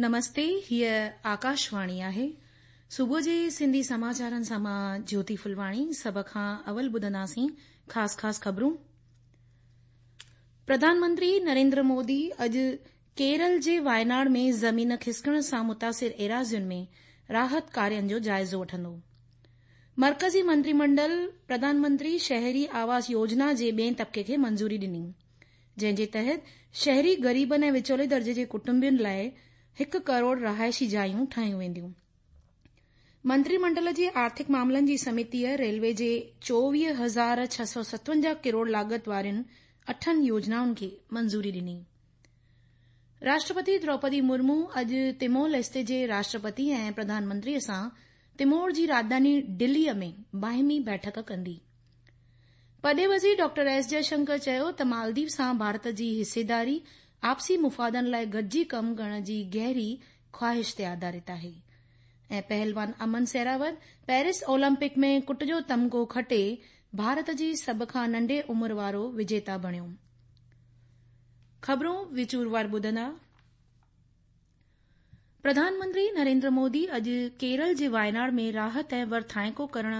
نمستي هيء آڪاشواڻي آهي. صبح جي سنڌي سماچارن سان مان جيوتي ڦلواڻي سڀ کان اول ٻڌنداسين خاص خاص خبرون. پرڌان منتري نريندر مودي اڄ ڪيرل جي وايناڙ ۾ زمين کسڪڻ سان متاثر ايراضين ۾ راحت ڪارين جو جائزو وٺندو. مرڪزي منتري منڊل پرڌان منتري شهري آواس يوجنا جي ٻئين طبقي کي منظوري ڏني. جنهن جي تحت شهري غريبن ۽ وچولي درجي جي ڪٽنبن لاء هڪ ڪروڙ رهائشي جايون ٺاهيون وينديون. منتري منڊل جي آرٿڪ معاملن جي سمتيء ريلوي جي 24657 ڪروڙ لاڳت وارين اٺن يوجنائن کي منظوري ڏني. راشٽرپتي دروپدي مرمو اڄ تيمور ليستي جي راشٽرپتي ۽ پرڌان منتريء سان تيمور جي راڄڌاني ڊليء ۾ باهمي بيٺڪ ڪندي. پرڏيهي وزير ڊاڪٽر ايس جئشنڪر چيو ته مالديپ سان ڀارت جي حصيداري آپسي مفادن لاء گڏجي ڪم ڪرڻ جي گهري خواهش تي آڌارت آهي ۽ پهلوان امن سهراوت پيرس اولمپڪ ۾ ڪٽ جو تمغو کٽي ڀارت جي سڀ کان ننڍي عمر وارو وجيتا بڻيو. خبرون وچوروار ٻڌندا. پرڌان منتري نريندر مودي اڄ ڪيرل جي وايناڙ ۾ راحت ۽ ورٿائڪو ڪرڻ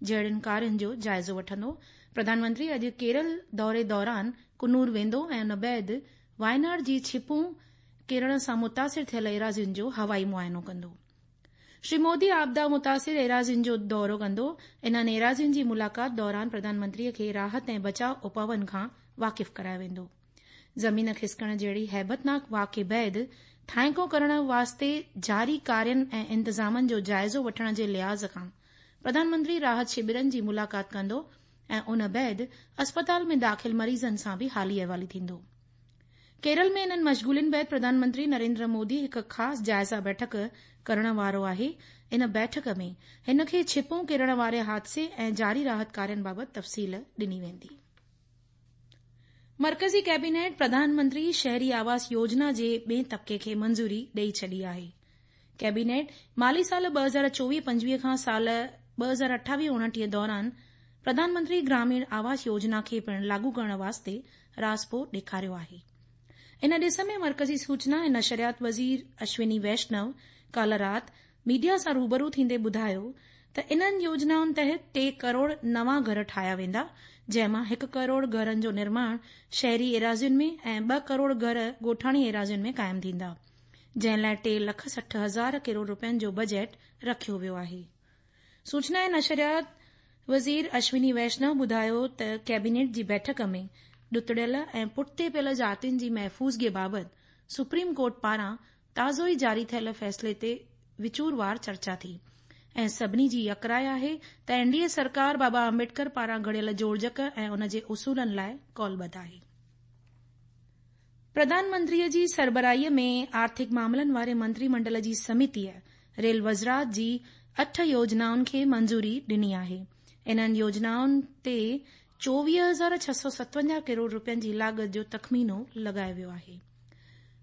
جهڙن ڪارين جو جائزو وٺندو. پرڌان منتري اڄ ڪيرل دوري دوران ڪنور ويندو ۽ ان بعد وايناڙ جي ڇپون ڪرڻ سان متاثر ٿيل ايراضين جو هوائي معائنو ڪندو. شري مودي آپدا متاثر ايراضين جو دورو ڪندو. انهن ايراضين جي ملاقات دوران پرڌان منتري کي راحت ۽ بچاء اپائن کان واقف ڪرايو ويندو. زمين کسڪڻ جهڙي هيبتناڪ واقعي بعد ٿانئيڪو ڪرڻ واسطي جاري ڪارين ۽ انتظامن جو جائزو وٺڻ جي لحاظ کان پرڌان منتري راحت شبرن جي ملاقات ڪندو ۽ ان بعد اسپتال ۾ داخل مريضن سان به حالي احوالي ٿيندو. ڪيرل ۾ انهن مشغولين بعد پرڌان منتري نريندر مودي هڪ خاص جائزه بيٺڪ ڪرڻ وارو آهي. ان بيٺڪ ۾ هن کي ڇپون ڪرڻ واري حادثي ۽ جاري راحت ڪارين بابت تفصيل ڏني ويندي. مرڪزي ڪيبينيٽ پرڌان منتري شهري آواس يوجنا جي ٻئين طبقي کي منظوري ڏئي ڇڏي آهي. ڪيبينيٽ مالي سال 2024-25 کان سال 2028-29 دوران پرڌان منتري گراميڻ آواس يوجنا کي پڻ لاڳو ڪرڻ واسطي راضپو ڏيکاريو آهي. ان ڏس ۾ مرڪزي سوچنا ۽ نشريات وزير اشوني ويشنو ڪالهه رات ميڊيا سان روبرو ٿيندي ٻڌايو ته انهن يوجنائن تحت ٽي ڪروڙ نوان گهر ٺاهيا ويندا، جنهن مان هڪ ڪروڙ گهرن جو نرماڻ شهري ايراضين ۾ ۽ ٻه ڪروڙ گهر ڳوٺاڻي ايراضين ۾ قائم ٿيندا، جنهن لاء 3 لک 60 هزار ڪروڙ رپين جو بجيٽ رکيو ويو آهي. سوچنا ۽ نشريات وزير اشوني ويشنو ٻڌايو ته ڪيبينيٽ جي بيٺڪ ۾ ڏتڙيل ۽ پٺتي پيل جاتين جي محفوظگي بابت سپريم ڪورٽ پاران تازو ئي جاري ٿيل فيصلي تي وچوروار چرچا ٿي ۽ سڀني جي يڪراء آهي ته اين ڊي اي سرڪار بابا امبيڊڪر پاران گهڙيل جوڙجڪ ۽ ان جي اصولن لاء قولبڌ آهي. پرڌان منتريء جي سربراهيء ۾ آرٿڪ معاملن واري منتري منڊل جي سمتيء ريل وزارت جي اٺ يوجنائن کي منظوري ڏني آهي. انهن يوجنائن تي 24657 ڪروڙ رپين جي لاڳت جو تخمينو لڳايو ويو آهي.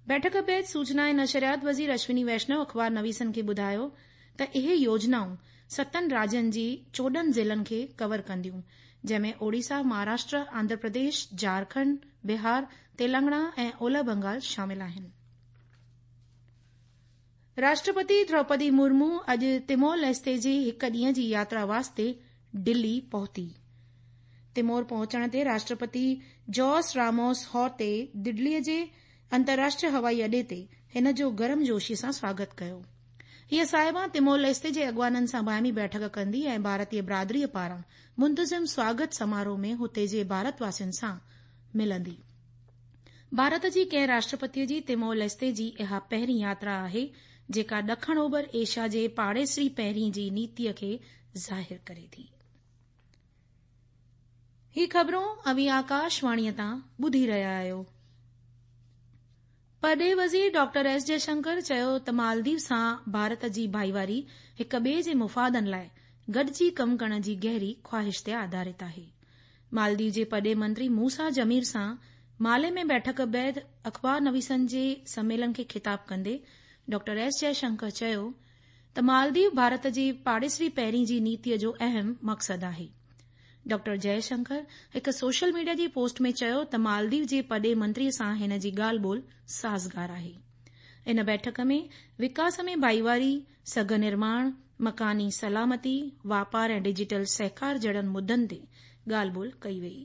بيٺڪ بعد سوچنا ۽ نشريات وزير اشوني ويشنو اخبار نويسن کي ٻڌايو ته اهي يوجنائون ستن راجين جي 14 ضلعن کي ڪور ڪنديون، جنهن ۾ اوڙيسا، مهاراشٽر، آنڌرا پرديش، جهارکنڊ، بهار، تيلنگانا ۽ اولهه بنگال شامل آهن. راشٽرپتي دروپدي مرمو اڄ تيمور ليستي جي هڪ ڏينهن جي ياترا واسطي ڊلي پهتي. تيمور پهچڻ تي راشٽرپتي جوس راموس هورتي دڊليء جي انترراشٽريه هوائي اڏي تي هن جو گرمجوشيء سان سواگت ڪيو. هيء صاحبان تيمور ليستي جي اڳواڻن سان باهمي بيٺڪ ڪندي ۽ ڀارتي برادريء پاران منتظم سواگت سماروهه ۾ هتي جي ڀارت واسين سان ملندي. ڀارت جي ڪنهن راشٽرپتيء جي تيمور ليستي جي اها پهرين ياترا آهي، جيڪا ڏکڻ اوڀر ايشيا جي پاڙيسري پهرين جي نيتيء کي ظاهر ڪري ٿي. هي خبرون اوهين آڪاشواڻيء تان ٻڌي رهيا آهيو. پرڏيهي وزير ڊاڪٽر ايس جئشنڪر چيو ته مالديپ سان ڀارت جي ڀائيواري هڪ ٻئي جي مفادن لاء گڏجي ڪم ڪرڻ جي گهري خواهش تي آڌارت آهي. مالديپ جي پرڏيهي منتري موسيٰ جمير سان مالي ۾ بيٺڪ بعد اخبار نويسن جي سميلن کي خطاب ڪندي ڊاڪٽر ايس جئشنڪر چيو ته مالديپ ڀارت جي پاڙيسري پهرين جي نيتي جو اهم مقصد آهي. ڊاڪٽر جئه شنڪر هڪ سوشل ميڊيا جي پوسٽ ۾ چيو ته مالديپ جي پرڏيهي منتري سان هن جي ڳالهه ٻولهه سازگار آهي. ان بيٺڪ ۾ وڪاس ۾ ڀائيواري، سگهه نرماڻ، مڪاني سلامتي، واپار ۽ ڊجيٽل سهڪار جهڙن مدن تي ڳالهه ٻولهه ڪئي وئي.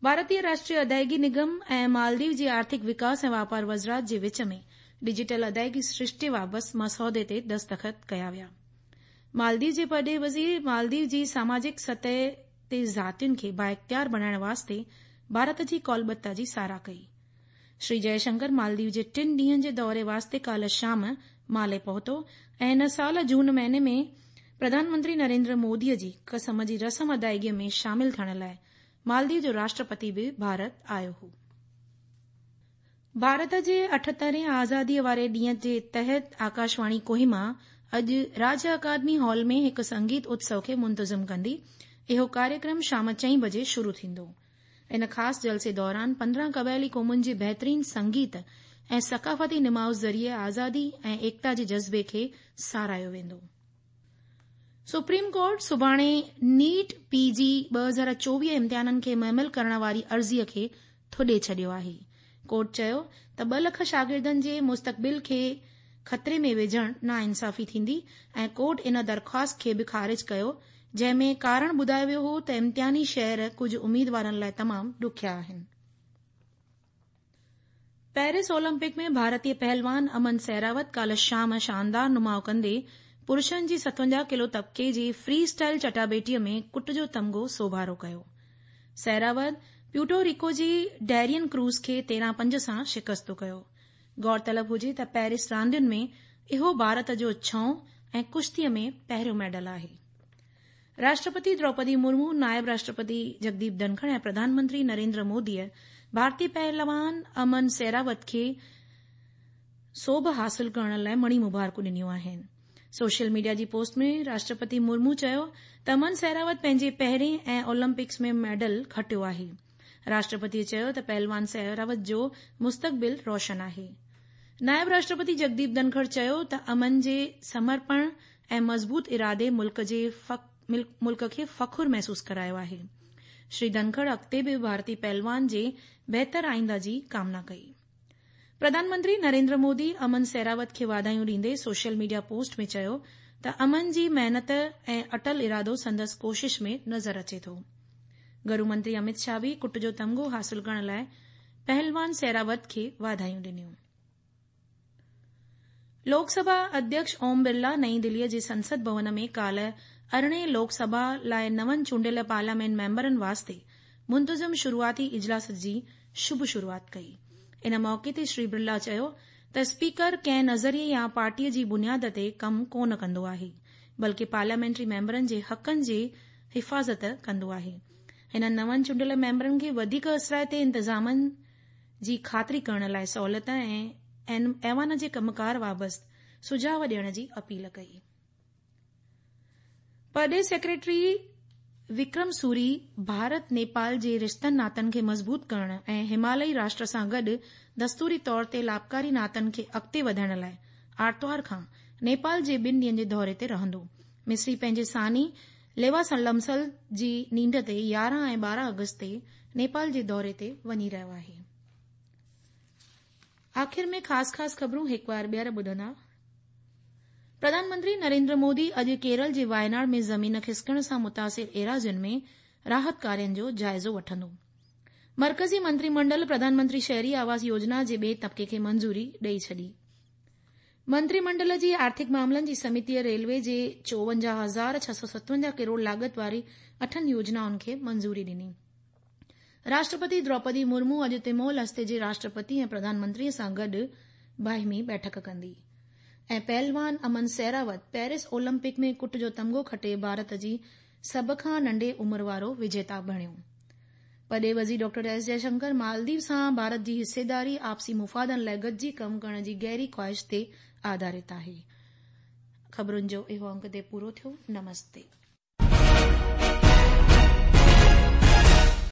ڀارتيه راشٽريه ادائيگي نگم ۽ مالديو جي آرٿڪ وڪاس ۽ واپار وزارت جي وچ ۾ ڊجيٽل ادائيگي سرشتي بابت مسودي تي دستخط ڪيا ويا. مالديو جي پرڏيهي وزير مالديو جي ساماجڪ سطح تي ذاتين کي بااختيار بڻائڻ واسطي ڀارت جي قولبتا جي ساراهه ڪئي. شري جئه شنڪر مالديو جي ٽن ڏينهن جي دوري واسطي ڪالهه شام مالي پهتو ۽ هن سال جون مهيني ۾ پرڌان منتري نريندر مودي جي قسم جي رسم ادائيگي ۾ شامل ٿيڻ لاء مالديو جو راشٽرپتي به ڀارت آيو هو. ڀارت جي اٺهترهين آزاديء واري ڏينهن جي تحت آڪاشواڻي ڪوهيما اڄ راجيه اڪادمي هال ۾ هڪ سنگيت اتسو کي منتظم ڪندي. اهو ڪاريڪرم شام چئين بجي شروع ٿيندو. ان خاص جلسي دوران 15 قبائلي قومن جي بهترين سنگيت ۽ ثقافتي نماء ذريعي آزادي ۽ ايڪتا جي جذبي کي ساراهيو ويندو. سپريم ڪورٽ سڀاڻي نيٽ پي جي 2024 امتحانن کي مهمل ڪرڻ واري عرضي کي ٿڏي ڇڏيو آهي. ڪورٽ چيو ته ٻه لک شاگردن جي مستقبل کي خطري ۾ وجهڻ ناانصافي ٿيندي ۽ ڪورٽ ان درخواست کي به خارج ڪيو جنهن ۾ ڪارڻ ٻڌايو ويو هو ته امتحاني شهر ڪجهه اميدوارن لاء تمام ڏکيا آهن. پيرس اولمپڪ ۾ ڀارتي پهلوان امن سهراوت ڪالهه شام شاندار نماء ڪندي پرشن جي 57 ڪلو طبقي جي فري اسٽائل چٽاڀيٽي ۾ ڪٽ جو تمغو سوڀارو ڪيو. سهراوت پيوٽو ريڪو جي ڊيرين ڪروز کي 13 پنج سان شڪست ڪيو. غور طلب هجي ته پيرس راندين ۾ اهو ڀارت جو ڇهون ۽ ڪشتي ۾ پهريون ميڊل آهي. راشٽرپتي دروپدي مرمو، نائب راشٽرپتي جگديپ ڌنکڙ ۽ پرڌان منتري نريندر موديء ڀارتي پهلوان امن سهراوت کي سوڀ حاصل ڪرڻ لاء مڻي مبارڪون ڏنيون آهن. سوشل ميڊيا جي پوسٽ ۾ راشٽرپتي مرمو چيو ته امن سهراوت پنهنجي پهرين ۽ اولمپڪس ۾ ميڊل کٽيو آهي. راشٽرپتيء چيو ته پهلوان سهراوت جو مستقبل روشن آهي. نائب راشٽرپتي جگديپ ڌنکڙ چيو ته امن جي سمرپڻ ۽ مضبوط ارادي ملڪ جي ملڪ کي فخر محسوس ڪرايو آهي. شري ڌنکڙ اڳتي به ڀارتي پهلوان جي بهتر آئنده جي ڪامنا ڪئي. پرڌان منتري نريندر مودي امن سهراوت کي واڌايون ڏيندي سوشل ميڊيا پوسٽ ۾ چيو ته امن جي محنت ۽ اٽل ارادو سندس ڪوشش ۾ نظر اچي ٿو. گهرو منتري امت شاهه به ڪٽ جو تمغو حاصل ڪرڻ لاء پهلوان سهراوت کي واڌايون ڏنيون. لوڪ سڀا اڌيڪش اوم برلا نئين دليء جي سنسد ڀون ۾ ڪالهه ارڙهين لوڪ سڀا لاء نون چونڊيل پارليامينٽ ميمبرن واسطي منتظم شروعاتي اجلاس جي شڀ شروعات ڪئي. ان موقعي تي شري برلا چيو ته اسپيڪر ڪنهن نظريي يا پارٽيء جي بنياد تي ڪم ڪونه ڪندو آهي بلڪه پارليامينٽري ميمبرن جي حقن جي حفاظت ڪندو آهي. هن نون چونڊيل ميمبرن کي وڌيڪ اثرائتي انتظامن جي خاطري ڪرڻ لاء سهولت ۽ ايوان جي ڪم ڪار بابت سجهاء ڏيڻ جي اپيل ڪئي. پرڏيهي سيڪريٽري وڪرم سوري ڀارت نيپال جي رشتن ناتن کي مضبوط ڪرڻ ۽ همالئي راشٽر سان گڏ دستوري طور تي لاڀڪاري ناتن کي اڳتي وڌائڻ لاء آرتوار کان نيپال جي ٻن ڏينهن جي دوري تي رهندو. مصري پنهنجي ثاني ليوا لمسل جي نينڍ تي 11 ۽ 12 آگسٽ تي نيپال جي دوري تي وڃي رهيو آهي. آخر ۾ خاص خاص خبرون هڪ وار ٻيهر ٻڌندا. پرڌان منتري نريندر مودي اڄ ڪيرل جي وايناڙ ۾ زمين کسڪڻ سان متاثر ايراضين ۾ راحت ڪارين جو جائزو وٺندو. مرڪزي منتري منڊل پرڌان منتري شهري آواس يوجنا جي ٻئي طبقي کي منظوري ڏئي ڇڏي. منتري منڊل جي آرٿڪ معاملن جي سميتيء ريلوي جي 54657 ڪروڙ لاڳت واري اٺن يوجنائن کي منظوري ڏني. راشٽرپتي دروپدي مرمو اڄ تيمور ليستي جي راشٽرپتي ۽ پرڌان منتري سان گڏ باهمي بيٺڪ ڪندي. ۽ پهلوان امن سهراوت پيرس اولمپڪ ۾ ڪٽ جو تمغو کٽي ڀارت جي سڀ کان ننڍي عمر وارو وجيتا بڻيو. پرڏيهي وزير ڊاڪٽر ايس جئشنڪر مالديپ سان ڀارت جي حصيداري آپسي مفادن لاء گڏجي ڪم ڪرڻ جي گهري خواهش تي آڌارت آهي. خبرن جو اهو انڪ هتي پورو ٿيو. نمستي.